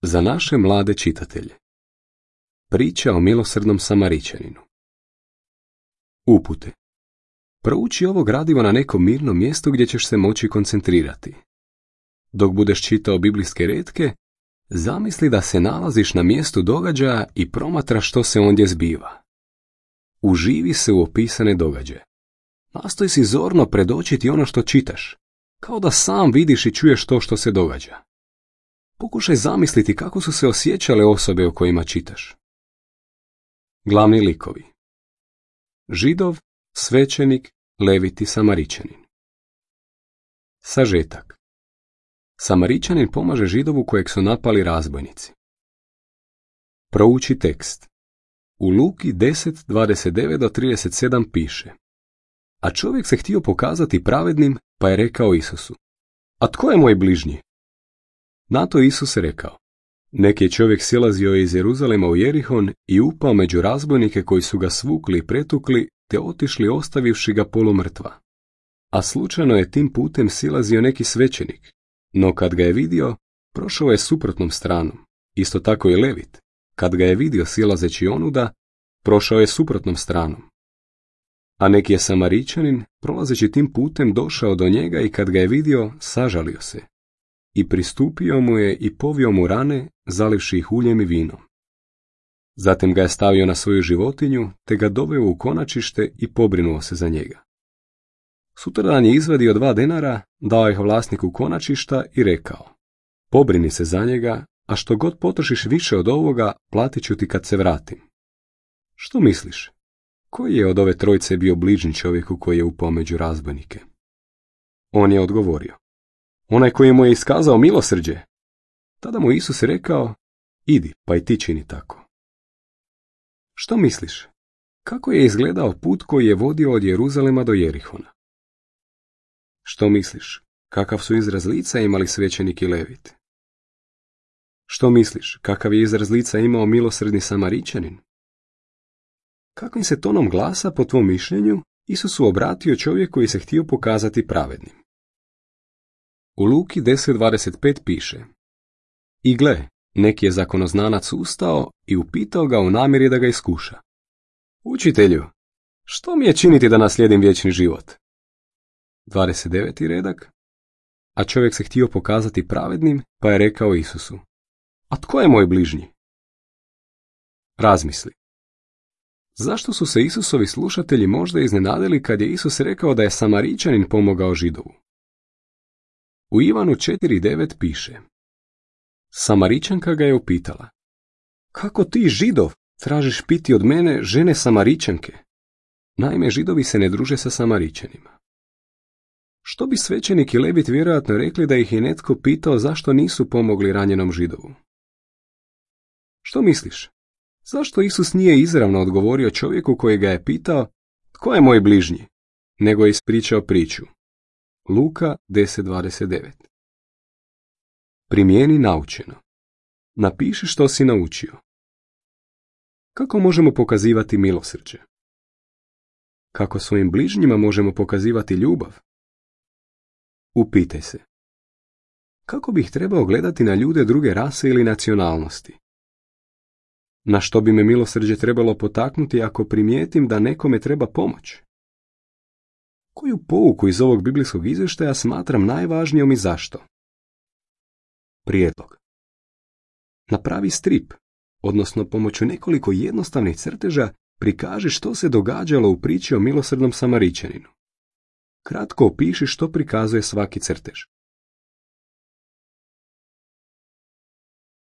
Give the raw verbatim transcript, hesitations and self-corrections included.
Za naše mlade čitatelje. Priča o milosrdnom Samaričaninu. Upute. Prouči ovo gradivo na nekom mirnom mjestu gdje ćeš se moći koncentrirati. Dok budeš čitao biblijske retke, zamisli da se nalaziš na mjestu događaja i promatraš što se ondje zbiva. Uživi se u opisane događaje. Nastoj si zorno predočiti ono što čitaš, kao da sam vidiš i čuješ to što se događa. Pokušaj zamisliti kako su se osjećale osobe o kojima čitaš. Glavni likovi. Židov, svećenik, levit i Samaričanin. Sažetak. Samaričanin pomaže Židovu kojeg su napali razbojnici. Prouči tekst. U Luki deset dvadeset devet do trideset sedam piše: A čovjek se htio pokazati pravednim, pa je rekao Isusu: A tko je moj bližnji? Na to Isus rekao: Neki je čovjek silazio iz Jeruzalema u Jerihon i upao među razbojnike koji su ga svukli i pretukli, te otišli ostavivši ga polumrtva. A slučajno je tim putem silazio neki svećenik, no kad ga je vidio, prošao je suprotnom stranom. Isto tako i levit, kad ga je vidio silazeći onuda, prošao je suprotnom stranom. A neki je Samaričanin, prolazeći tim putem, došao do njega i kad ga je vidio, sažalio se. I pristupio mu je i povio mu rane, zalivši ih uljem i vinom. Zatim ga je stavio na svoju životinju, te ga doveo u konačište i pobrinuo se za njega. Sutradan je izvadio dva denara, dao ih vlasniku konačišta i rekao: Pobrini se za njega, a što god potrošiš više od ovoga, platit ću ti kad se vratim. Što misliš? Koji je od ove trojice bio bližnji čovjeku koji je upao među razbojnike? On je odgovorio: Onaj koji mu je iskazao milosrđe. Tada mu Isus rekao: Idi, pa i ti čini tako. Što misliš? Kako je izgledao put koji je vodio od Jeruzalema do Jerihona? Što misliš? Kakav su izraz lica imali svećenik i levit? Što misliš? Kakav je izraz lica imao milosrdni Samaričanin? Kakvim se tonom glasa, po tvom mišljenju, Isusu obratio čovjek koji se htio pokazati pravednim? U Luki deset dvadeset pet piše: I gle, neki je zakonoznanac ustao i upitao ga u namjeri da ga iskuša: Učitelju, što mi je činiti da naslijedim vječni život? dvadeset deveti redak. A čovjek se htio pokazati pravednim, pa je rekao Isusu: A tko je moj bližnji? Razmisli. Zašto su se Isusovi slušatelji možda iznenadili kad je Isus rekao da je Samaričanin pomogao Židovu? U Ivanu četiri devet piše: Samaričanka ga je upitala: Kako ti, Židov, tražiš piti od mene, žene Samaričanke? Naime, Židovi se ne druže sa Samaričanima. Što bi svećenik i levit vjerojatno rekli da ih je netko pitao zašto nisu pomogli ranjenom Židovu? Što misliš? Zašto Isus nije izravno odgovorio čovjeku koji ga je pitao: Tko je moj bližnji? Nego je ispričao priču. Luka deset dvadeset devet. Primijeni naučeno. Napiši što si naučio. Kako možemo pokazivati milosrđe? Kako svojim bližnjima možemo pokazivati ljubav? Upitaj se: kako bih trebao gledati na ljude druge rase ili nacionalnosti? Na što bi me milosrđe trebalo potaknuti ako primijetim da nekome treba pomoć? Koju pouku iz ovog biblijskog izvještaja smatram najvažnijom i zašto? Prijedlog. Napravi strip, odnosno pomoću nekoliko jednostavnih crteža prikaži što se događalo u priči o milosrdnom Samaričaninu. Kratko opiši što prikazuje svaki crtež.